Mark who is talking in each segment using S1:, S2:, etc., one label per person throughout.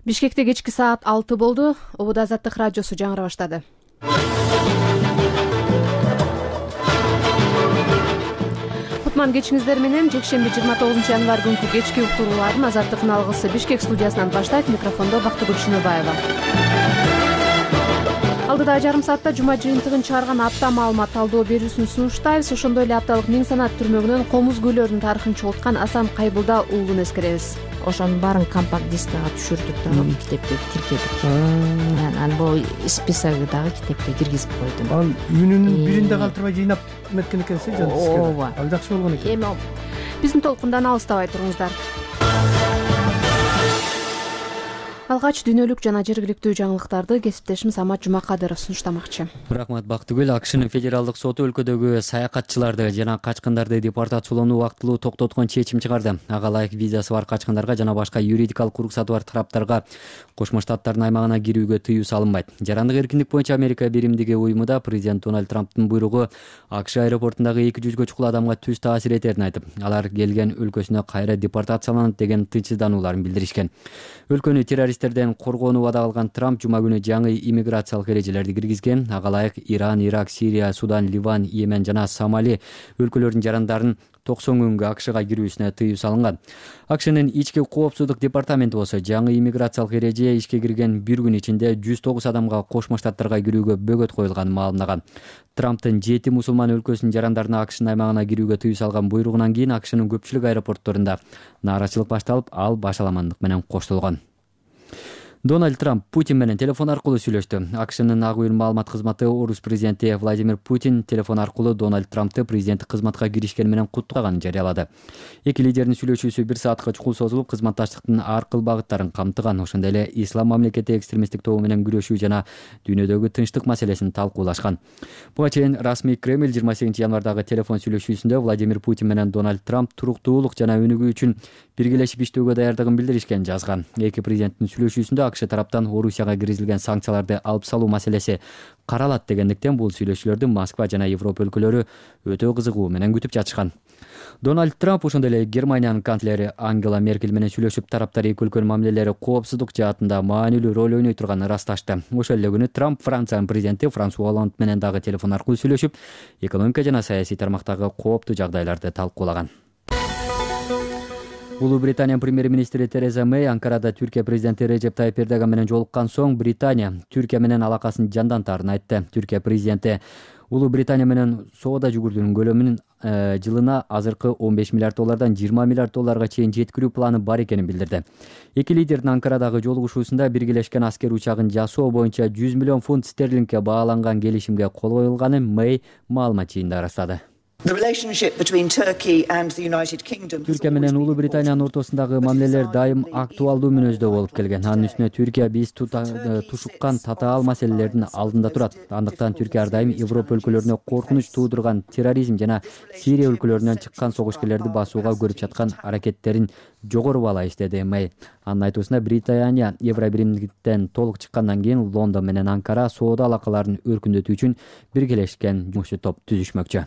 S1: Бишкекте кечки саат 6 болду. Обуда Азаттык радиосу жаңыра баштады. Кутман кечиңиздер менен жекшемби 29 январь күнкү кечки уктуруулардын Азаттыктын алгысы Бишкек студиясынан баштайт. Микрофондо Бактыгүл Шыныбаева. Алдыда жарым саатта жума жыйынтыгын чыгарган апта маалымат талдоо берүүсүн сунуштайбыз. Ошондой эле апталык Миң санат түрмөгүнөн комуз көлөрүнүн тарыхын чогулткан Асан Кайбылда уулун эскеребиз.
S2: Ошонун баарын компакт дискага түшүрдүк дагы китепке тиркедик. Анан бул списогу дагы китепке киргизип койдум.
S3: Ал үнүнүн биринде калтырбай жыйнап эметкен экенсиз,
S2: ооба.
S3: Ал жакшы болгон экен.
S2: Эми
S1: Биздин толкундан алыстабай туруңуздар. Алгач дүйнөлүк жана жергиликтүү жаңылыктарды кесиптешим Самат Жумакадыров сунуштамакчы.
S4: Рахмат Бактыгүл. АКШнын федералдык соту өлкөдөгү саякатчыларды жана качкындарды депортациялоону убактылуу токтоткон чечим чыгарды. Ага ылайык визасы бар качкындарга жана башка юридикалык уруксаты бар тараптарга Кошмо Штаттардын аймагына кирүүгө тыюу салынбайт. Жарандык эркиндик боюнча Америка биримдиги уюмуда президент Дональд Трамптын буйругу АКШ аэропортундагы 200гө чукул адамга түз таасир этерин айтып, алар келген өлкөсүнө кайра депортацияланат деген тынчсызданууларын билдиришкен. Өлкөнү террористтерден коргоону убада алган Трамп жума күнү жаңы иммиграциялык эрежелерди киргизген. Ага ылайык Иран, Ирак, Сирия, Судан, Ливан, Йемен жана Сомали өлкөлөрүнүн жарандарын 90 күнгө АКШга кирүүсүнө тыюу салынган. АКШнын ички коопсуздук департаменти болсо жаңы иммиграциялык эреже ишке кирген бир күн ичинде 109 адамга Кошмо Штаттарга кирүүгө бөгөт коюлганын маалымдаган. Трамптын 7 мусулман өлкөсүнүн жарандарына АКШнын аймагына кирүүгө тыюу салган буйругунан кийин АКШнын көпчүлүк аэропортторунда нааразычылык башталып, ал башаламандык менен коштолгон. Дональд Трамп Путин менен телефон аркылуу сүйлөштү. АКШнын ак үйүн маалымат кызматы орус президенти Владимир Путин телефон аркылуу Дональд Трамптты президенттик кызматка киришкени менен куттугаганын жарыялады. Эки лидердин сүйлөшүүсү 1 саатка чукул созулуп, кызматташтыктын ар кыл багыттарын камтыган. Ошондой эле ислам мамлекети экстремисттик тобу менен күрөшүү жана дүйнөдөгү тынчтык маселесин талкуулашкан. Буга чейин расмий Кремль 28 январдагы телефон сүйлөшүүсүндө Владимир Путин менен Дональд Трамп туруктуулук жана өнүгүү үчүн биргелешип иштөөгө даярдыгын билдиришкенин жазган. Эки президенттин сүйлөшүүсүндө АКШ тараптан Орусияга киргизилген санкцияларды алып салуу маселеси каралат дегендиктен бул сүйлөшүүлөрдү Москва жана Европа өлкөлөрү өтө кызыгуу менен күтүп жатышкан. Дональд Трамп ошондой эле Германиянын канцлери Ангела Меркель менен сүйлөшүп, тараптар эки өлкөнүн мамилелери коопсуздук жаатында маанилүү роль ойной турганын ырасташты. Ошол эле күнү Трамп Франциянын президенти Франсуа Олланд менен дагы телефон аркылуу сүйлөшүп, экономика жана саясий тармактагы кооптуу жагдайларды талкуулаган. Улуу Британиянын премьер-министри Тереза Мэй Анкарада Түркия президенти Режеп Тайип Эрдоган менен жолуккан соң Британия Түркия менен алакасын жандантаарын айтты. Түркия президенти Улуу Британия менен соода жүгүртүүнүн көлөмүн жылына азыркы 15 миллиард доллардан 20 миллиард долларга чейин жеткирүү планы бар экенин билдирди. Эки лидердин Анкарадагы жолугушуусунда биргелешкен аскер учагын жасоо боюнча 100 миллион фунт стерлингге бааланган келишимге кол коюлганын Мэй маалымат жыйынында ырастады. Түркия менен Улуу Британиянын ортосундагы мамилелер дайым актуалдуу мүнөздө болуп келген. Анын үстүнө Түркия биз тушуккан татаал маселелердин алдында турат. Андыктан Түркия ар дайым Европа өлкөлөрүнө коркунуч туудурган терроризм жана Сирия өлкөлөрүнөн чыккан согушкерлерди басууга көрүп жаткан аракеттерин жогору баалайбыз, деди Мэй. Анын айтуусунда Британия Евробиримдиктен толук чыккандан кийин Лондон менен Анкара соода алакаларын өркүндөтүү үчүн биргелешкен жумушчу топ түзүшмөкчү.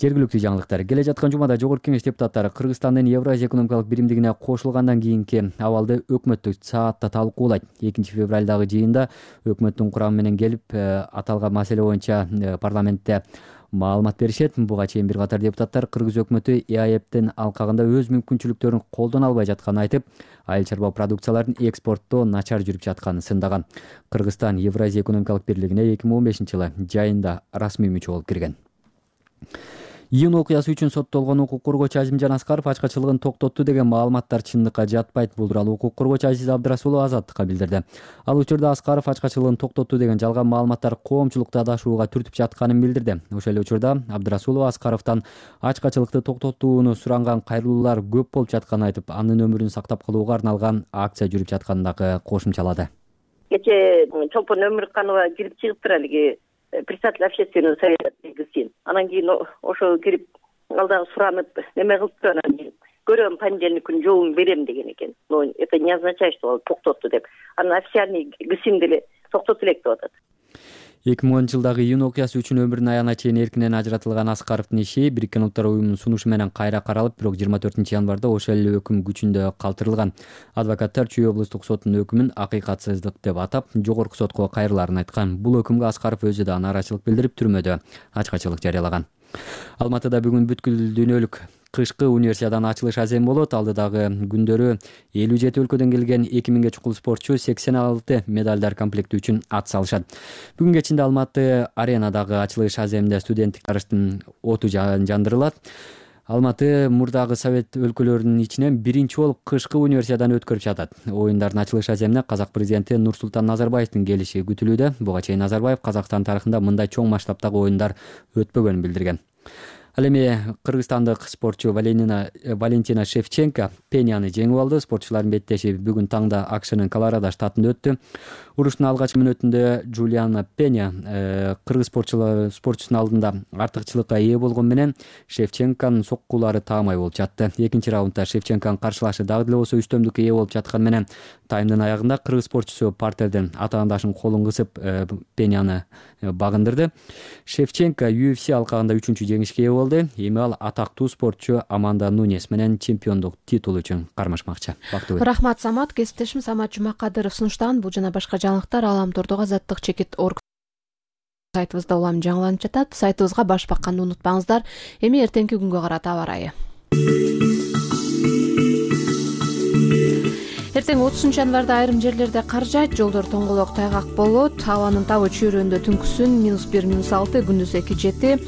S4: Жергиликтүү жаңылыктар. Келе жаткан жумада Жогорку Кеңеш депутаттары Кыргызстандын Евразия экономикалык биримдигине кошулгандан кийинки абалды өкмөттүк саатта талкуулайт. 2 февралдагы жыйында өкмөттүн курамы менен келип, аталган маселе боюнча парламентте маалымат беришет. Буга чейин бир катар депутаттар Кыргыз өкмөтү ЭАЭПтин алкагында өз мүмкүнчүлүктөрүн колдоно албай жатканын айтып, айыл чарба продукцияларын экспорттоо начар жүрүп жатканын сындаган. Кыргызстан Евразия экономикалык бирлигине 2015-жылы жайында расмий мүчө болуп кирген. Июнь окуясы үчүн соттолгон укук коргоочу Азимжан Аскаров ачкачылыгын токтотту деген маалыматтар чындыкка жатпайт. Бул тууралуу укук коргоочу Азиз Абдрасулов Азаттыкка билдирди. Ал учурда Аскаров ачкачылыгын токтотту деген жалган маалыматтар коомчулукту адашууга түртүп жатканын билдирди. Ошол эле учурда Абдрасулов Аскаровдон ачкачылыкты токтотууну суранган кайрылуулар көп болуп жатканын айтып, анын өмүрүн сактап калууга арналган акция жүрүп жатканын дагы кошумчалады.
S5: Кече Чолпон Өмүрканова кирип чыгыптыр алиги председатель общественного совета кызын. Анан кийин ошо кирип алдан суранып неме кылыптыр, анан кийин көрөм понедельник күнү жообун берем деген экен. Но это не означает, что ал токтотту деп. Анан официальный ГСИМ деле токтоту элек деп атат.
S4: 2010-жылдагы июнь окуясы үчүн өмүрүнүн аягына чейин эркинен ажыратылган Аскаровдун иши Бириккен Улуттар уюмунун сунушу менен кайра каралып, бирок 24-январда ошол эле өкүм күчүндө калтырылган. Адвокаттар Чүй облустук сотунун өкүмүн акыйкатсыздык деп атап, жогорку сотко кайрылаарын айткан. Бул өкүмгө Аскаров өзү да нааразычылык билдирип, түрмөдө ачкачылык жарыялаган. Алматыда бүгүн бүткүл дүйнөлүк кышкы универсиаданын ачылыш аземи болот. Алдыдагы күндөрү 57 өлкөдөн келген 2000ге чукул спортчу 86 медалдар комплекти үчүн ат салышат. Бүгүн кечинде Алматы аренадагы ачылыш аземинде студенттик жарыштын оту жандырылат. Алматы мурдагы совет өлкөлөрүнүн ичинен биринчи болуп кышкы универсиаданы өткөрүп жатат. Оюндардын ачылыш аземине казак президенти Нурсултан Назарбаевдин келиши күтүлүүдө. Буга чейин Назарбаев Казакстан тарыхында мындай чоң масштабтагы оюндар өтпөгөнүн билдирген. Ал эми кыргызстандык спортчу Валентина Шевченко Пеняны жеңип алды. Спортчулардын беттеши бүгүн таңда АКШнын Колорадо штатында өттү. Уруштун алгачкы мүнөтүндө Джулиана Пеня кыргыз спортчусунун алдында артыкчылыкка ээ болгон менен Шевченконун соккулары таамай болуп жатты. Экинчи раундда Шевченконун каршылашы дагы деле болсо үстөмдүккө ээ болуп жаткан менен таймдын аягында кыргыз спортчусу партерден атаандашынын колун кысып Пеняны багындырды. Шевченко UFC алкагында 3-чү жеңишке ээ болду. Эми ал атактуу спортчу Аманда Нунес менен чемпиондук титул үчүн кармашмакчы.
S1: Рахмат Самат. Кесиптешим Самат Жумакадыров сунуштаган бул жана башка жаңылыктар Ааламтордогу Азаттык чекит орг сайтыбызда улам жаңыланып жатат. Сайтыбызга баш бакканды унутпаңыздар. Эми эртеңки күнгө карата аба ырайы. Эртең 30-январда айрым жерлерде кар жаайт, жолдор тоңголок тайгак болот. Абанын табы чөйрөндө түнкүсүн -1, -6, күндүз 2-7.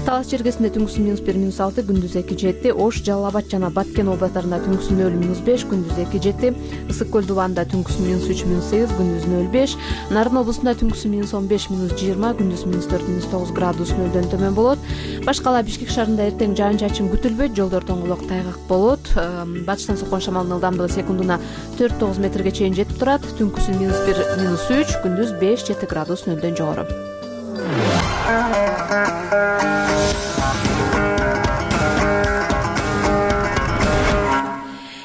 S1: Талас Черкесинде түнкүсүн -1, -6, күндүз 2-7. Ош, Жалал Абад жана Баткен областарында түнкүсүн 0, -5, күндүз 2-7. Ысык көл Дубанда түнкүсүн -3, -8, күндүз 0,5. Нарын облусунда түнкүсүн -15, -20, күндүз -4, -9 градус нөлдөн төмөн болот. Башкала Бишкек шаарында эртең жаан-чачын күтүлбөйт, жолдор тоңголок тайгак болот. Батыштан соккон шамалдын ылдамдыгы секундуна 4-9 метрге чейин жетип турат. Түнкүсүн -1, -3, күндүз 5-7 градус нөлдөн жогору.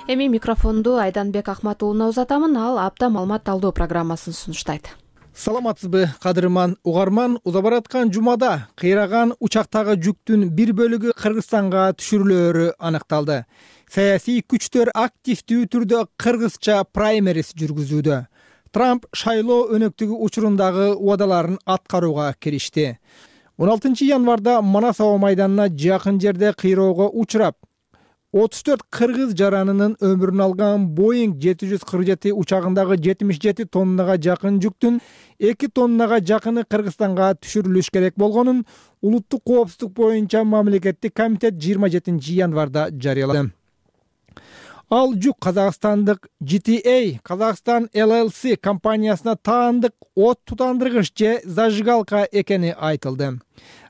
S1: Эми микрофонду Айданбек Акматуллуна узатамын. Ал апта маалымат талдоо программасын сунуштайт.
S3: Саламатсызбы, кадырман угарман? Уза бараткан жумада кыйраган учактагы жүктүн бир бөлүгү Кыргызстанга түшүрүлөөрү аныкталды. Саясий күчтөр активдүү түрдө кыргызча праймерис жүргүзүүдө. Трамп шайлоо өнөктүгү учурундагы убадаларын аткарууга киришти. 16 январда Манас аба майданына жакын жерде кыйроого учурап, 34 кыргыз жаранынын өмүрүн алган Boeing 747 учагындагы 77 тоннага жакын жүктүн 2 тоннага жакыны Кыргызстанга түшүрүлүш керек болгонун Улуттук коопсуздук боюнча мамлекеттик комитет 27 январда жарыялады. Ал жүк казакстандык GTA Казакстан LLC компаниясына таандык от тутандыргыч же зажигалка экени айтылды.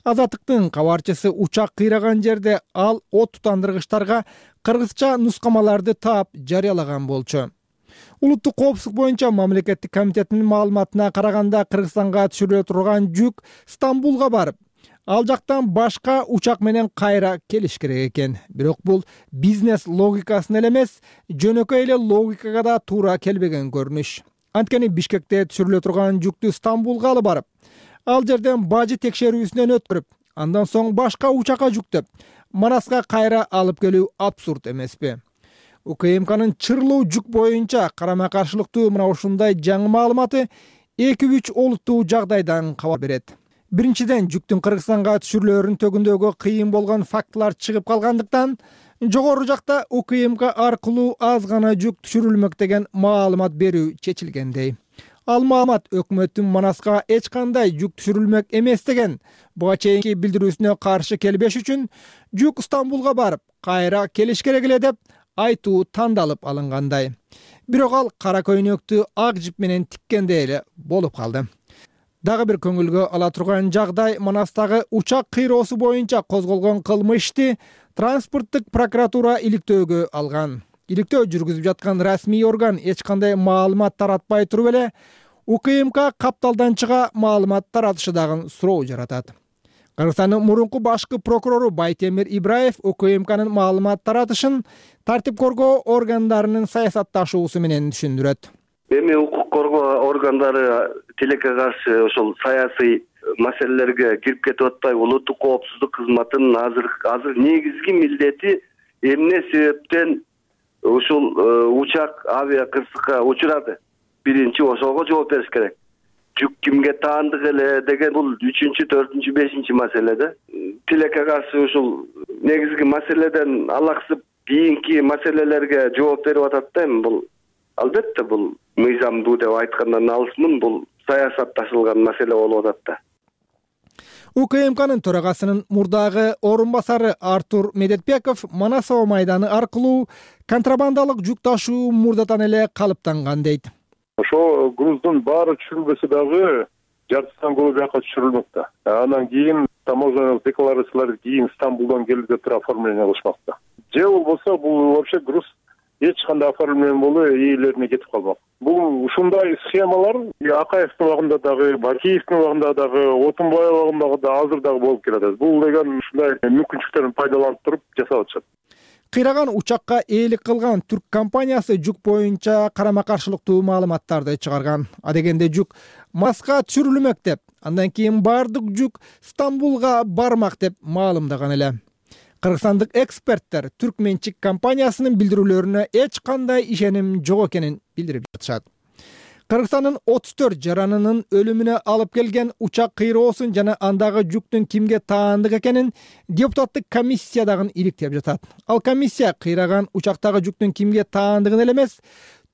S3: Азаттыктын кабарчысы учак кыйраган жерде ал от тутандыргычтарга кыргызча нускамаларды таап жарыялаган болчу. Улуттук коопсуздук боюнча мамлекеттик комитетинин маалыматына караганда Кыргызстанга түшүрүлө турган жүк Стамбулга барып, ал жактан башка учак менен кайра келиш керек экен. Бирок бул бизнес логикасына эле эмес, жөнөкөй эле логикага да туура келбеген көрүнүш. Анткени Бишкекте түшүрүлө турган жүктү Стамбулга алып барып, ал жерден бажы текшерүүсүнөн өткөрүп, андан соң башка учакка жүктөп, Манаска кайра алып келүү абсурд эмеспи? УКМКнын чырлуу жүк боюнча карама каршылыктуу мына ушундай жаңы маалыматы 2-3 олуттуу жагдайдан кабар берет. Биринчиден, жүктүн Кыргызстанга түшүрүлөөрүнүн төгүндөгү кыйын болгон фактылар чыгып калгандыктан, жогору жакта УКМК аркылуу аз гана жүк түшүрүлмөк деген маалымат берүү чечилгендей. Ал маалымат өкмөттүн Манаска эч кандай жүк түшүрүлмөк эмес деген буга чейинки билдирүүсүнө каршы келбеш үчүн жүк Стамбулга барып, кайра келиш керек эле деп айтуу тандалып алынгандай. Бирок ал кара көйнөктү ак жип менен тиккендей эле болуп калды. Дагы бир көңүлгө ала турган жагдай Манастагы учак кыйроосу боюнча козголгон кылмышты транспорттук прокуратура иликтөөгө алган. Иликтөө жүргүзүп жаткан расмий орган эч кандай маалымат таратпай туруп эле УКМК капталдан чыга маалымат таратышы дагы суроо жаратат. Кыргызстандын мурунку башкы прокурору Байтемир Ибраев УКМКнын маалымат таратышын тартип коргоо органдарынын саясатташуусу менен түшүндүрөт.
S6: эми укук коргоо органдары тилекке каршы ошол саясий маселелерге кирип кетип атпайбы? Улуттук коопсуздук кызматынын азыр негизги милдети эмне себептен ушул учак авиа кырсыкка учурады? Биринчи ошого жооп бериш керек. Жүк кимге таандык эле деген бул 3-чү, 4-чү, 5-чи маселе да. Тилекке каршы ушул негизги маселеден алаксып кийинки маселелерге жооп берип атат да. Эми бул албетте бул мыйзамдуу деп айткандан алысмын, бул саясатташылган маселе болуп атат да.
S3: УКМКнын төрагасынын мурдагы орун басары Артур Медетбеков Манасова майданы аркылуу контрабандалык жүк ташуу мурдатан эле калыптанган дейт.
S7: Ошо груздун баары түшүрүлбөсө дагы жартысынан көбү бияка түшүрүлмөктө. Анан кийин таможенялык декларациялар кийин Стамбулдан келди деп туруп оформление кылышмакта. Же болбосо бул вообще груз эч кандай оформление болбой ээлерине кетип калмак. Бул ушундай схемалар Акаевдин убагында дагы, Бакиевдин убагында дагы, Отунбаев убагында да азыр дагы болуп келатат. Бул деген ушундай мүмкүнчүлүктөрдөн пайдаланып туруп жасап атышат.
S3: Кыйраган учакка ээлик кылган түрк компаниясы жүк боюнча карама каршылыктуу маалыматтарды чыгарган. Адегенде жүк Маска түшүрүлмөк деп, андан кийин баардык жүк Стамбулга бармак деп маалымдаган эле. Кыргызстандык эксперттер түрк менчик компаниясынын билдирүүлөрүнө эч кандай ишеним жок экенин билдирип жатышат. Кыргызстандын 34 жаранынын өлүмүнө алып келген учак кыйроосун жана андагы жүктүн кимге таандык экенин депутаттык комиссия дагы иликтеп жатат. Ал комиссия кыйраган учактагы жүктүн кимге таандыгын эле эмес,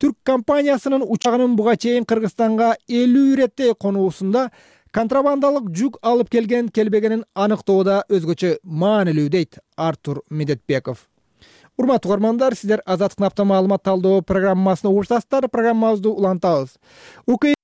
S3: түрк компаниясынын учагынын буга чейин Кыргызстанга 50 иреттей конуусунда контрабандалык жүк алып келбегенин аныктоодо өзгөчө маанилүү дейт Артур Медетбеков. Урматтуу угармандар, сиздер Азаттык апта маалымат талдоо программасына угушасыздар. Программабызды улантабыз. УКМК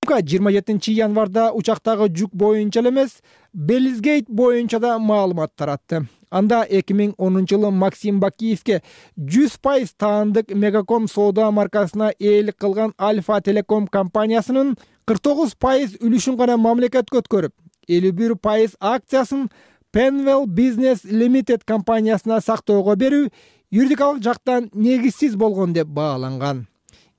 S3: 27 январда учактагы жүк боюнча эле эмес, Белизгейт боюнча да маалымат таратты. Анда 2010-жылы Максим Бакиевке 100% таандык Мегаком соода маркасына ээлик кылган Альфа Телеком компаниясынын 49% үлүшүн гана мамлекетке өткөрүп, 51% акциясын Penwell Business Limited компаниясына сактоого берүү юридикалык жактан негизсиз болгон деп бааланган.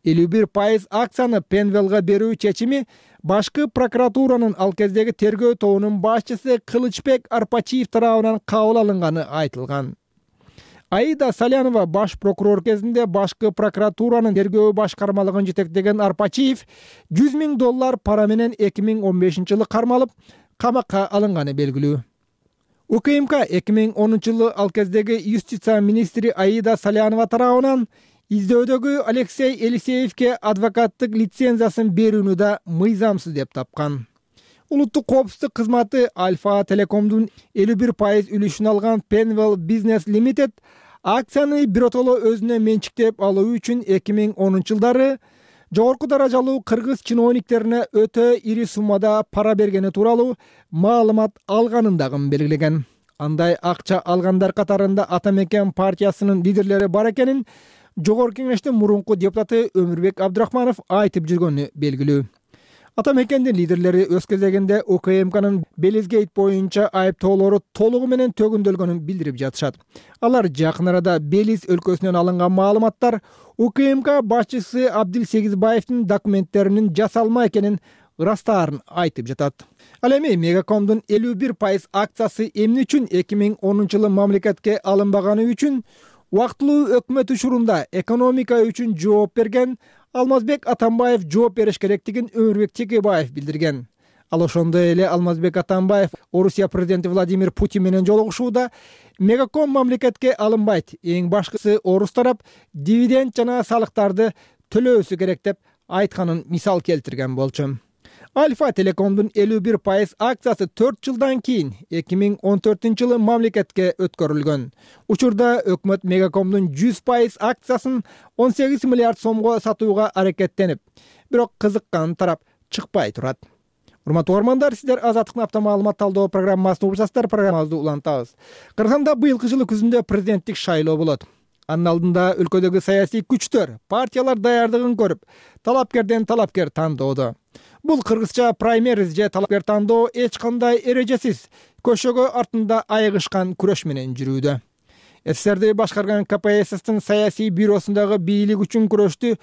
S3: 51% акцияны Penwellга берүү чечими башкы прокуратуранын ал кездеги тергөө тобунун башчысы Кылычбек Арпачиев тарабынан кабыл алынганы айтылган. Аида Салянова баш прокурор кезинде башкы прокуратуранын тергөө башкармалыгын жетектеген Арпачиев $100 000 пара менен 2015-жылы кармалып, камакка алынганы белгилүү. УКМК 2010-жылы ал кездеги юстиция министри Аида Салянова тарабынан издөөдөгү Алексей Елисеевке адвокаттык лицензиясын берүүнү да мыйзамсыз деп тапкан. Улуттук коопсуздук кызматы Альфа Телекомдун 51% үлүшүн алган Penwell Business Limited акцияны биротоло өзүнө менчиктеп алуу үчүн 2010-жылдары жогорку даражалуу кыргыз чиновниктерине өтө ири суммада пара бергени тууралуу маалымат алганын дагы белгилеген. Андай акча алгандар катарында Ата Мекен партиясынын лидерлери бар экенин Жогорку Кеңештин мурунку депутаты Өмүрбек Абдрахманов айтып жүргөнү белгилүү. Ата Мекендин лидерлери өз кезегинде УКМКнын Белизгейт боюнча айыптоолору толугу менен төгүндөлгөнүн билдирип жатышат. Алар жакын арада Белиз өлкөсүнөн алынган маалыматтар УКМК башчысы Абдилсегизбаевдин документтеринин жасалма экенин ырастаарын айтып жатат. Ал эми Мегакомдун 51% акциясы эмне үчүн 2010-жылы мамлекетке алынбаганы үчүн убактылуу өкмөт учурунда экономика үчүн жооп берген Алмазбек Атамбаев жооп бериш керектигин Өмүрбек Текебаев билдирген. Ал ошондой эле Алмазбек Атамбаев Орусия президенти Владимир Путин менен жолугушууда Мегаком мамлекетке алынбайт, эң башкысы орус тарап дивиденд жана салыктарды төлөөсү керек деп айтканын мисал келтирген болчу. Альфа Телекомдун 51% акциясы 4 жылдан кийин 2014-жылы мамлекетке өткөрүлгөн. Учурда өкмөт Мегакомдун 100% акциясын 18 миллиард сомго сатууга аракеттенип, бирок кызыккан тарап чыкпай турат. Урматтуу угармандар, сиздер Азаттык апта маалымат талдоо программасына угушасыздар. Программабызды улантабыз. Кыргызстанда быйылкы жылы күзүндө президенттик шайлоо болот. Анын алдында өлкөдөгү саясий күчтөр, партиялар даярдыгын көрүп, талапкерден талапкер тандоодо. Бул кыргызча праймериз же талапкер тандоо эч кандай эрежесиз, көшөгө артында айыгышкан күрөш менен жүрүүдө. СССРди башкарган КПССтин саясий бюросундагы бийлик үчүн күрөштү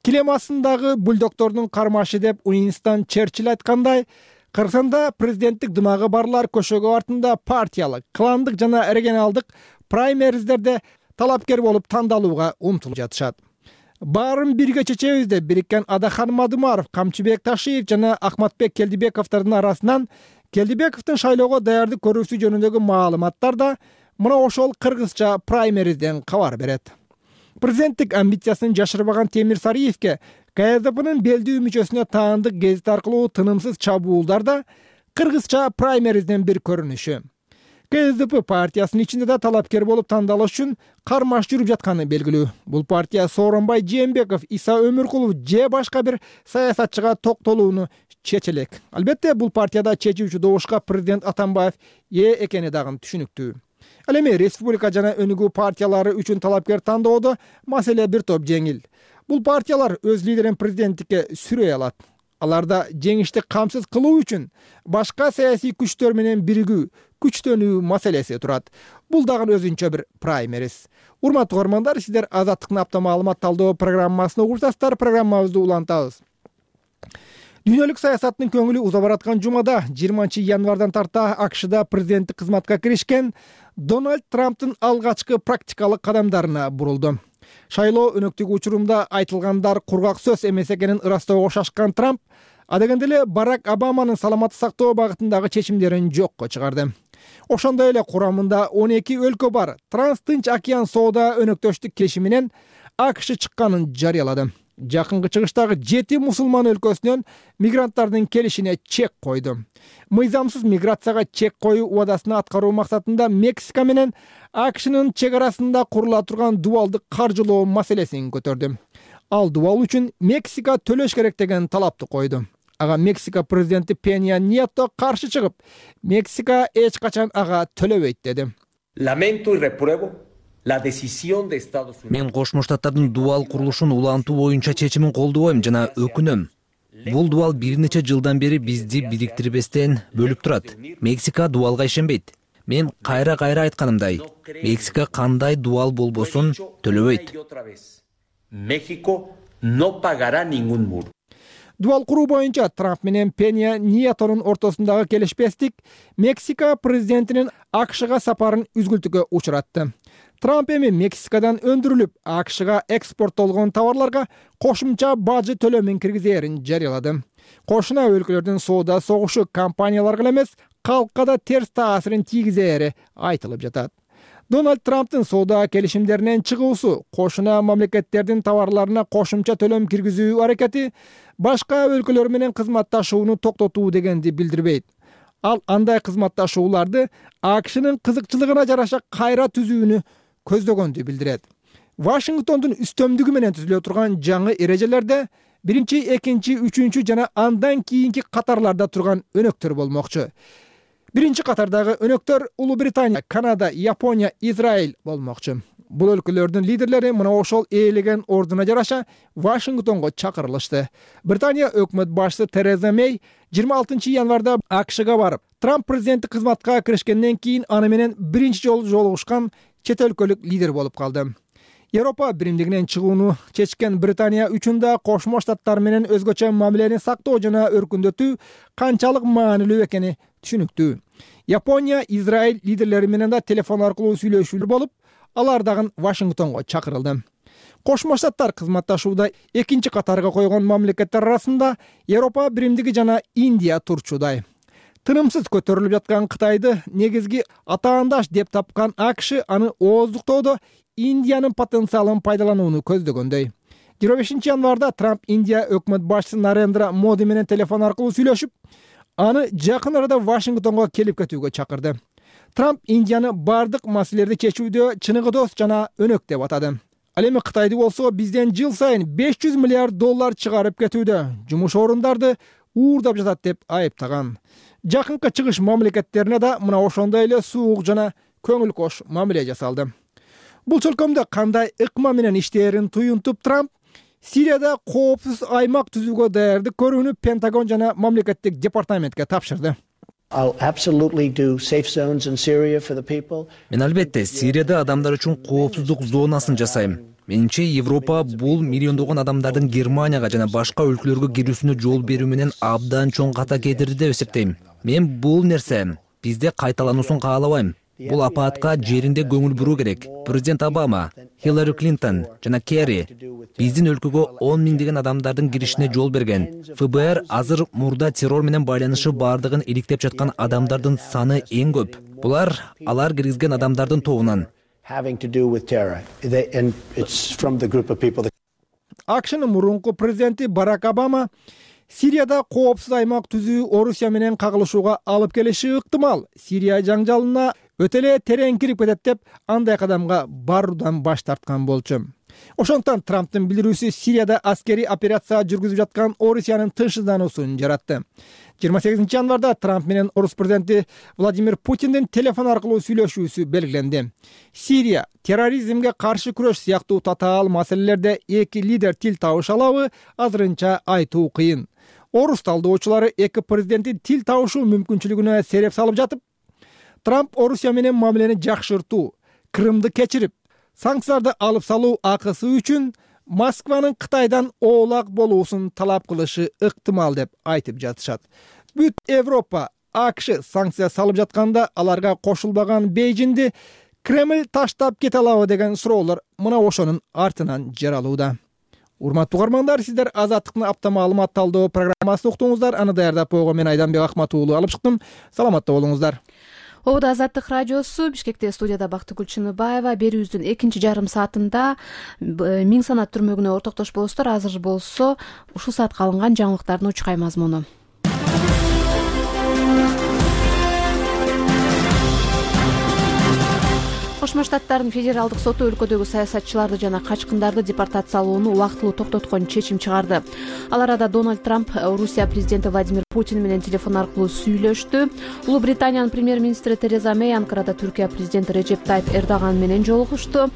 S3: Килем астындагы бульдоктордун кармашы деп Уинстон Черчилль айткандай, Кыргызстанда президенттик дымагы барлар көшөгө артында партиялык, кландык жана регионалдык праймериздерде талапкер болуп тандалууга умтулуп жатышат. Баарын бирге чечебиз деп бириккен Адахан Мадумаров, Камчыбек Ташиев жана Ахматбек Келдибековдун арасынан Келдибековдун шайлоого даярдык көрүүсү жөнүндөгү маалыматтар да мына ошол кыргызча праймеризден кабар берет. Президенттик амбициясын жашырбаган Темир Сариевке КСДПнын белдүү мүчөсүнө таандык гезит аркылуу тынымсыз чабуулдар да кыргызча праймеризден бир көрүнүшү. КСДП партиясынын ичинде да талапкер болуп тандалыш үчүн кармаш жүрүп жатканы белгилүү. Бул партия Сооронбай Жээнбеков, Иса Өмүркулов же башка бир саясатчыга токтолууну чечелек. Албетте, бул партияда чечүүчү добушка президент Атамбаев ээ экени дагы түшүнүктүү. Ал эми республика жана өнүгүү партиялары үчүн талапкер тандоодо маселе бир топ жеңил. Бул партиялар өз лидерин президенттикке сүрөй алат. Аларда жеңишти камсыз кылуу үчүн башка саясий күчтөр менен биригүү, күчтөнүү маселеси турат. Бул дагы өзүнчө бир праймериз. Урматтуу угармандар, сиздер Азаттыктын апта маалымат талдоо программасын угуштасыздар. Программабызды улантабыз. Дүйнөлүк саясаттын көңүлү уза бараткан жумада 20 январдан тарта АКШда президенттик кызматка киришкен Дональд Трамптын алгачкы практикалык кадамдарына бурулду. Шайлоо өнөктүгү учурунда айтылгандар кургак сөз эмес экенин ырастоого шашкан Трамп адегенде эле Барак Обаманын саламатты сактоо багытындагы чечимдерин жокко чыгарды. Ошондой эле курамында 12 өлкө бар Транс-Тынч океан соода өнөктөштүк келишиминен АКШ чыкканын жарыялады. Жакынкы чыгыштагы 7 мусулман өлкөсүнөн мигранттардын келишине чек койду. Мыйзамсыз миграцияга чек коюу убадасына аткаруу максатында Мексика менен АКШнын чек арасында курула турган дубалдык каржылоо маселесин көтөрдү. Ал дубал үчүн Мексика төлөш керек деген талапты койду. Ага Мексика президенти Пенья Nieto каршы чыгып, Мексика эч качан ага төлөбөйт деди.
S8: Lamento y repruebo la decisión de Estados Unidos.
S9: Мен Кошмо Штаттардын дубал курулушун улантуу боюнча чечимин колдобойм жана өкүнөм. Бул дубал бир нече жылдан бери бизди бириктирбестен бөлүп турат. Мексика дубалга ишенбейт. Мен кайра айтканымдай, Мексика кандай дубал болбосун төлөбөйт.
S8: México no pagará ningún muro.
S3: Дубал куруу боюнча Трамп менен Пенья Ниетонун ортосундагы келишпестик Мексика президентинин АКШга сапарын үзгүлтүккө учуратты. Трамп эми Мексикадан өндүрүлүп, АКШга экспорттолгон товарларга кошумча бажы төлөмүн киргизээрин жарыялады. Кошуна өлкөлөрдүн соода согушу компанияларга эмес, калкка да терс таасирин тийгизери айтылып жатат. Дональд Трамптын соода келишимдеринен чыгуусу, кошуна мамлекеттердин товарларына кошумча төлөм киргизүү аракети башка өлкөлөр менен кызматташууну токтотуу дегенди билдирбейт. Ал андай кызматташууларды АКШнын кызыкчылыгына жараша кайра түзүүнү көздөгөндү билдирет. Вашингтондун үстөмдүгү менен түзүлө турган жаңы эрежелерде 1, 2, 3 жана андан кийинки катарларда турган өнөктөр болмокчу. Биринчи катардагы өнөктөр Улуу Британия, Канада, Япония, Израиль болмокчу. Бул өлкөлөрдүн лидерлери мына ошол ээлеген ордуна жараша Вашингтонго чакырылышты. Британия өкмөт башчысы Тереза Мэй 26 январда АКШга барып, Трамп президенттик кызматка киришкенден кийин аны менен биринчи жолу жолугушкан чет өлкөлүк лидер болуп калды. Европа биримдигинен чыгууну чечкен Британия үчүн да Кошмо Штаттар менен өзгөчө мамилени сактоо жана өркүндөтүү канчалык маанилүү экени түшүнүктүү. Япония, Израиль лидерлери менен да телефон аркылуу сүйлөшүүлөр болуп, алар дагы Вашингтонго чакырылды. Кошмо Штаттар кызматташууда экинчи катарга койгон мамлекеттер арасында Европа биримдиги жана Индия турчудай. Тынымсыз көтөрүлүп жаткан Кытайды негизги атаандаш деп тапкан АКШ аны ооздуктоодо Индиянын потенциалын пайдаланууну көздөгөндөй. 25 январда Трамп Индия өкмөт башчысы Нарендра Моди менен телефон аркылуу сүйлөшүп, аны жакын арада Вашингтонго келип кетүүгө чакырды. Трамп Индияны бардык маселелерди чечүүдө чыныгы жана өнөк деп атады. Ал эми Кытайды болсо бизден жыл сайын $500 миллиард чыгарып кетүүдө, жумуш орундарды уурдап жатат деп айыптаган. Жакынкы чыгыш мамлекеттерине да мына ошондой эле суук жана көңүл кош мамиле жасалды. Бул чөлкөмдө кандай ыкма менен иштээрин туюнтуп Трамп Сирияда коопсуз аймак түзүүгө даярдык көрүүнү Пентагон жана мамлекеттик департаментке тапшырды.
S9: Мен албетте Сирияда адамдар үчүн коопсуздук зонасын жасайм. Менимче Европа бул миллиондогон адамдардын Германияга жана башка өлкөлөргө кирүүсүнө жол берүү менен абдан чоң ката кетирди деп эсептейм. Мен бул нерсе бизде кайталануусун каалабайм. Бул апаатка жеринде көңүл буруу керек. Президент Обама, Хиллари Клинтон жана Керри биздин өлкөгө 10 миңдеген адамдардын киришине жол берген. ФБР азыр мурда террор менен байланышы бардыгын иликтеп жаткан адамдардын саны эң көп. Булар алар киргизген адамдардын тобунан.
S3: АКШнын мурунку президенти Барак Обама Сирияда коопсуз аймак түзүү Орусия менен кагылышууга алып келиши ыктымал. Сирия жаңжалына өтө эле терең кирип кетет деп андай кадамга баруудан баш тарткан болчу. Ошондуктан Трамптын билдирүүсү Сирияда аскерий операция жүргүзүп жаткан Орусиянын тынчсыздануусун жаратты. 28 январда Трамп менен Орус президенти Владимир Путиндин телефон аркылуу сүйлөшүүсү белгиленди. Сирия, терроризмге каршы күрөш сыяктуу татаал маселелерде эки лидер тил табыша алабы, азырынча айтуу кыйын. Орус талдоочулары эки президенттин тил табышуу мүмкүнчүлүгүнө сереп салып жатып, Трамп Орусия менен мамилени жакшыртуу, Крымды кечирип, санкцияларды алып салуу акысы үчүн Москванын Кытайдан оолак болуусун талап кылышы ыктымал деп айтып жатышат. Бүт Европа, АКШ санкция салып жатканда аларга кошулбаган Бейжиңди Кремль таштап кете алабы деген суроолор мына ошонун артынан жаралууда. Урматтуу угармандар, сиздер Азаттыктын апта маалымат талдоо программасын уктуңуздар. Аны даярдап койгон мен Айданбек Акмат уулу алып чыктым. Саламатта болуңуздар.
S1: Обуда Азаттык радиосу, Бишкекте студияда Бактыгүл Чыныбаева. Берүүбүздүн экинчи жарым саатында Миң санат түрмөгүнө ортоктош болосуздар. Азыр болсо ушул саатка алынган жаңылыктардын учкай мазмуну. Кошмо Штаттардын федералдык соту өлкөдөгү саясатчыларды жана качкындарды депортациялоону убактылуу токтоткон чечим чыгарды. Ал арада Дональд Трамп Орусия президенти Владимир Путин менен телефон аркылуу сүйлөштү. Улуу Британиянын премьер-министри Тереза Мэй Анкарада Түркия президенти Режеп Тайип Эрдоган менен жолугушту.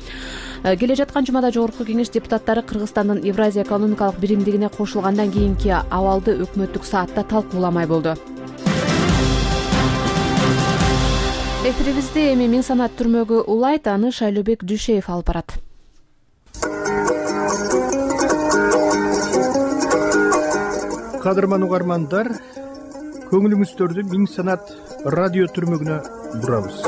S1: Келе жаткан жумада Жогорку Кеңеш депутаттары Кыргызстандын Евразия экономикалык биримдигине кошулгандан кийинки абалды өкмөттүк саатта талкууламай болду. Эфирибизди эми Миң санат түрмөгү улайт, аны Шайлообек Дүйшеев алып барат.
S10: Кадырман угармандар, көңүлүңүздөрдү Миң санат радио түрмөгүнө бурабыз.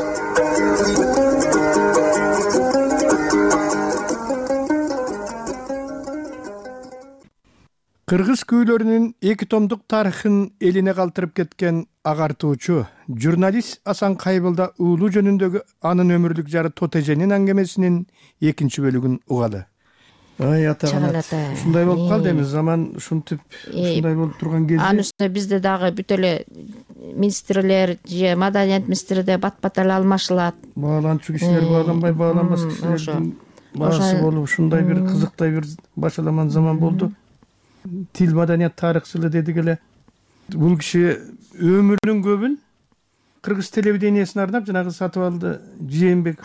S10: Кыргыз күүлөрүнүн 2 томдук тарыхын элине калтырып кеткен агартуучу журналист Асан Кайбылда уулу жөнүндөгү анын өмүрлүк жары Тотеженин аңгемесинин 2 бөлүгүн угалы. Ай ата-ана, ушундай болуп калды эми, заман ушинтип ушундай болуп турган кезде.
S2: Анын үстүнө бизде дагы бүт эле министрлер же маданият министрде бат-бат эле алмашылат.
S10: Бааланчу кишилер бааланбай, бааланбас кишилердин баасы болуп, ушундай бир кызыктай бир башаламан заман болду. Тил маданият тарыхчылы дедик эле. Бул киши өмүрүнүн көбүн кыргыз телевидениясына арнап жанагы Сатыбалды Жээнбек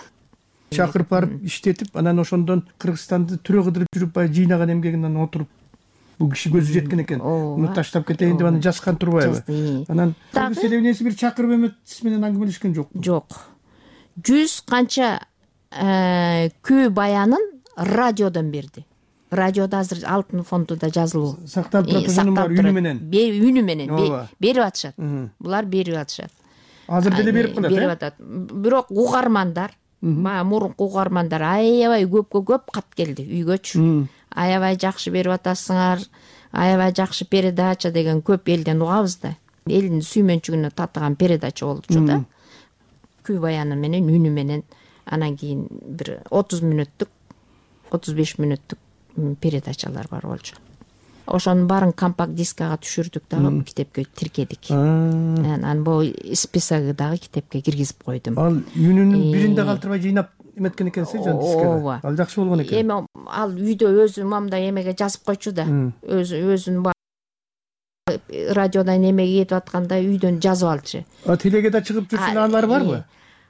S10: чакырып барып иштетип, анан ошондон Кыргызстанды түрө кыдырып жүрүп бай жыйнаган эмгегинен отуруп бул киши көзү жеткен экен. Муну таштап кетейин деп аны жазган турбайбы? Анан кыргыз телевидениясы бир чакырып эмес менен аңгемелешкен жокпу?
S2: Жок. 100 канча күү баянын радиодон берди. Радиода азыр алтын фондунда жазылуу
S10: сакталып турат, ошонун бар үнү менен.
S2: Үнү менен берип атышат. Булар берип атышат.
S10: Азыр деле берип калат.
S2: Берип атат. Бирок угармандар, мурунку угармандар аябай көп кат келди үйгөчү. Аябай жакшы берип атасыңар, аябай жакшы передача деген көп элден угабыз да. Элдин сүймөнчүгүнө татыган передача болчу да. Күү баяны менен, үнү менен, анан кийин бир 30 мүнөттүк, 35 мүнөттүк передачалар бар болчу. Ошонун баарын компакт дискага түшүрдүк дагы, китепке тиркедик. Анан бул списогу дагы китепке киргизип койдум.
S10: Ал үнүнүн биринде калтырбай жыйнап эметкен экенсиз, жан дискага. Ал жакшы болгон экен.
S2: Эми ал үйдө өзү мамда эмеге жазып койчу да. Өзүнүн радиодан эмеге кетип атканда үйдөн жазып алчу.
S10: Телеге да чыгып жүрсүн аналары барбы?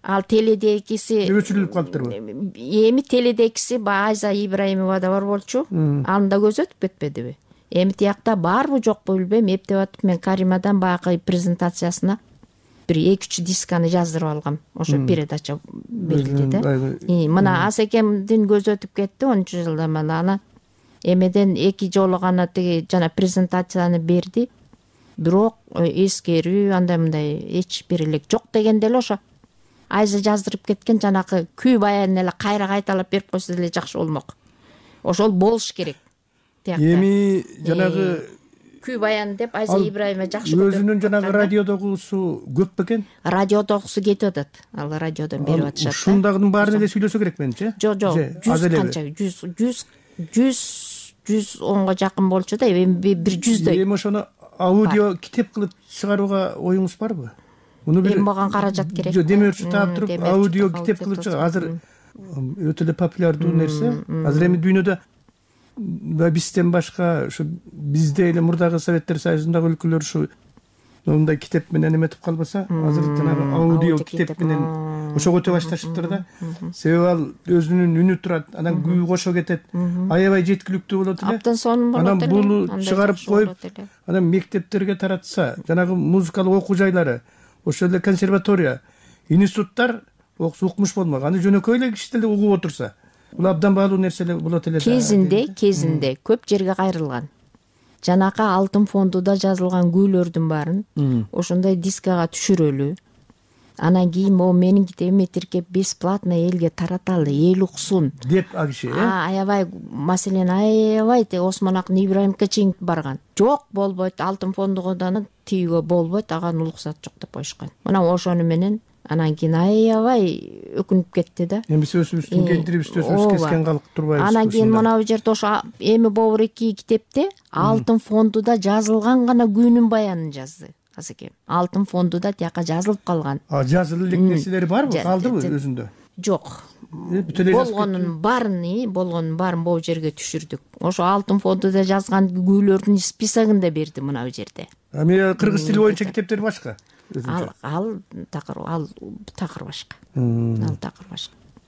S2: Ал теледегиси
S10: өчүрүлүп калыптырбы?
S2: Эми теледегиси Айза Ибраимова да бар болчу. Анда көз өтүп кетпедиби? Эми тиякта барбы жокпу билбейм, эптеп атып мен Каримадан баягы презентациясына бир 2-3 дисканы жаздырып алгам. Ошо передача берилди да. Мына Асекемдин көзү өтүп кетти 10 жылдан бери. Ана эмеден 2 жолу гана тиги жана презентацияны берди. Бирок эскерүү андай мындай эч бир эле жок дегенде эле ошо Айза жаздырып кеткен жанакы күй баянын эле кайра кайталап берип койсо деле жакшы болмок. Ошол болуш керек.
S10: Эми жанагы
S2: күй баян деп Айза Ибраимова жакшы көрүп.
S10: Өзүнүн жанагы радиодогусу көп бекен?
S2: Радиодогусу кетип атат. Ал радиодон берип атышат.
S10: Ушундагынын баарын эле сүйлөсө керек менимче.
S2: Жок, 100 канча 110го жакын болчу да, эми бир 100дөй.
S10: Эми ошону аудио китеп кылып чыгарууга оюңуз барбы?
S2: Муну бир мага каражат керек.
S10: Жок, демөөрчү таап туруп аудио китеп кылып чыгар. Азыр өтө эле популярдуу нерсе. Азыр эми дүйнөдө бизден башка ушу бизде эле мурдагы Советтер Союзундагы өлкөлөр ушу мындай китеп менен эметип калбаса, азыр жанагы аудио китеп менен ошого өтө башташыптыр да. Себеби ал өзүнүн үнү турат, анан күү кошо кетет, аябай жеткиликтүү болот эле.
S2: Аптан сонун болот эле.
S10: Анан буну чыгарып коюп, анан мектептерге таратса, жанагы музыкалык окуу жайлары, ошол эле консерватория, институттар укмуш болмок. Аны жөнөкөй эле киши деле угуп отурса, бул абдан баалуу нерсе эле болот эле.
S2: Кезинде көп жерге кайрылган. Жанакы алтын фондуда жазылган күүлөрдүн баарын ошондой дискага түшүрөлү. Анан кийин могу менин китебиме тиркеп бесплатно элге тараталы, эл уксун
S10: деп а киши.
S2: Аябай маселен аябай Осмон Акын Ибраимовго чейин барган. Жок, болбойт, алтын фондугудан тийүүгө болбойт, ага уруксат жок деп коюшкан. Мына ошону менен анан кийин аябай өкүнүп кетти да.
S10: Эми сөзүбүздүн кендирибизди өзүбүз кескен калып турбайбыз.
S2: Анан кийин мына бул жерде ошо эми Бобур 2 китепте алтын фондуда жазылган гана күүнүн баянын жазды Асекем. Алтын фондуда тияка жазылып калган.
S10: Жазылып элек нерселери барбы? Калдыбы өзүндө?
S2: Жок. Болгонун баарын бул жерге түшүрдүк. Ошо алтын фондуда жазган күүлөрдүн списогун да берди мына бул жерде.
S10: Эми кыргыз тили боюнча китептер башка.
S2: Ал такыр башка.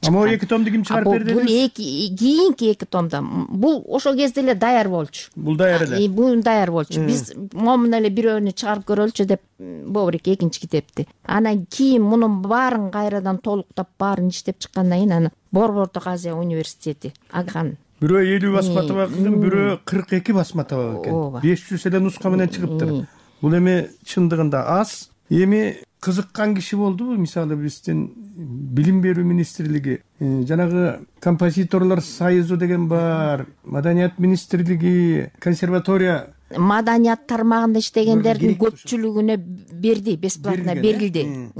S10: Ама 2 томду ким чыгарып берди?
S2: Бул кийинки 2 томдо. Бул ошол кезде эле даяр болчу.
S10: Бул даяр эле.
S2: Бул даяр болчу. Биз момун эле бирөөнү чыгарып көрөлүчү деп Бобур 2 экинчи китепти. Анан кийин мунун баарын кайрадан толуктап баарын иштеп чыккандан кийин аны Борбордук Азия университети аган.
S10: Бирөө 50 басма табак экен, бирөө 42 басма табак экен. 500 эле нуска менен чыгыптыр. Бул эми чындыгында аз. Эми кызыккан киши болдубу? Мисалы биздин билим берүү министрлиги, жанагы композиторлор союзу деген бар, маданият министрлиги, консерватория.
S2: Маданият тармагында иштегендердин көпчүлүгүнө берди, бесплатно берилди.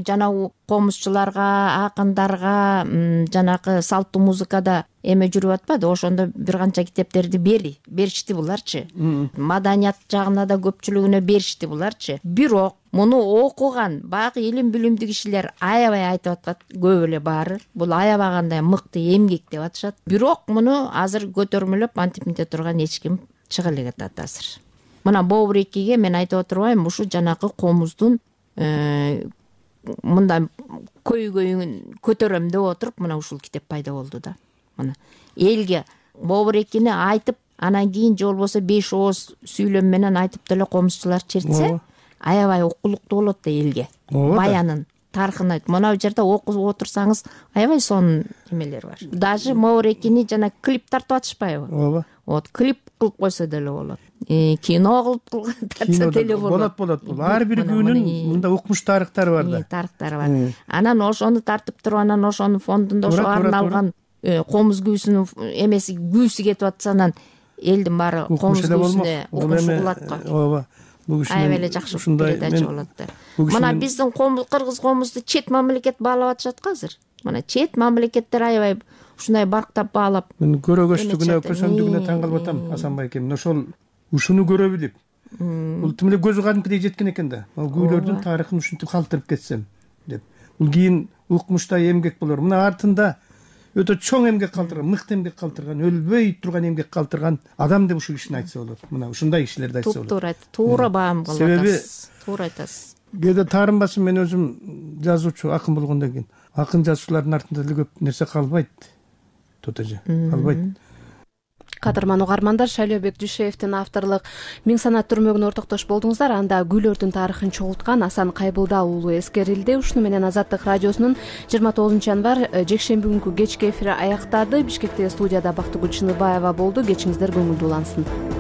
S2: Жана комузчуларга, акындарга, жанагы салттуу музыкада эме жүрүп атпады, ошондо бир канча китептерди беришти буларчы. Маданият жагына да көпчүлүгүнө беришти буларчы. Бирок муну окуган баягы илим билимдүү кишилер аябай айтып атат, көп эле баары. Бул аябагандай мыкты эмгек деп атышат. Бирок муну азыр көтөрмөлөп антип мынте турган эч ким чыга элек атат азыр. Мына Бобур 2ге мен айтып отурбайм, ушу жанакы комуздун мындай көйгөйүн көтөрөм деп отуруп мына ушул китеп пайда болду да. Мына элге Бобур 2-ни айтып, анан кийин же болбосо 5 ооз сүйлөм менен айтып деле комузчулар чертсе, аябай окулуктуу болот да элге. Баянын тарыхын айтып, мына бул жерде окуп отурсаңыз аябай сонун эмелер бар. Даже Бобур 2-ни жана клип тартып атышпайбы?
S10: Ооба.
S2: Вот клип кылып койсо деле болот. Кино кылып тартса деле болот.
S10: Болот. Ар бир күнүн мында укмуш тарыхтары бар да.
S2: Тарыхтары бар. Анан ошону тартып туруп, анан ошонун фондунда ошо арналган комуз күүсүнүн эмеси күүсү кетип атса, анан элдин баары комуз күүсүнө укмуш кылат го.
S10: Ооба.
S2: Аябай эле жакшы передача болот да. Мына биздин кыргыз комузду чет мамлекет баалап атышат го азыр. Мына чет мамлекеттер аябай ушундай барктап баалап.
S10: Мен көрөгөчтүгүнө, көсөмдүгүнө таң калып атам, Асанбай экен. Ошол ушуну көрөбү деп. Бул тим эле көзү кадимкидей жеткен экен да. Ал күүлөрдүн тарыхын ушинтип калтырып кетсем деп. Бул кийин укмуштай эмгек болор. Мына артында өтө чоң эмгек калтырган, мыкты эмгек калтырган, өлбөй турган эмгек калтырган адам деп ушул кишини айтса болот. Мына ушундай кишилерди айтса болот.
S2: Туура айтты. Туура баам кылып атасыз. Туура айтасыз.
S10: Кээде таарынбасын, мен өзүм жазуучу, акын болгондон кийин акын жазуучулардын артында деле көп нерсе калбайт. Тотоже калбайт.
S1: кадырман угармандар, Шайлообек Дүйшеевдин авторлук Миң санат түрмөгүнө ортоктош болдуңуздар. Анда гүлөрдүн тарыхын чогулткан Асан Кайбылда уулу эскерилди. Ушуну менен Азаттык радиосунун 29 январь жекшемби күнкү кечки эфири аяктады. Бишкектеги студияда Бактыгүл Чыныбаева болду. Кечиңиздер көңүлдүү улансын.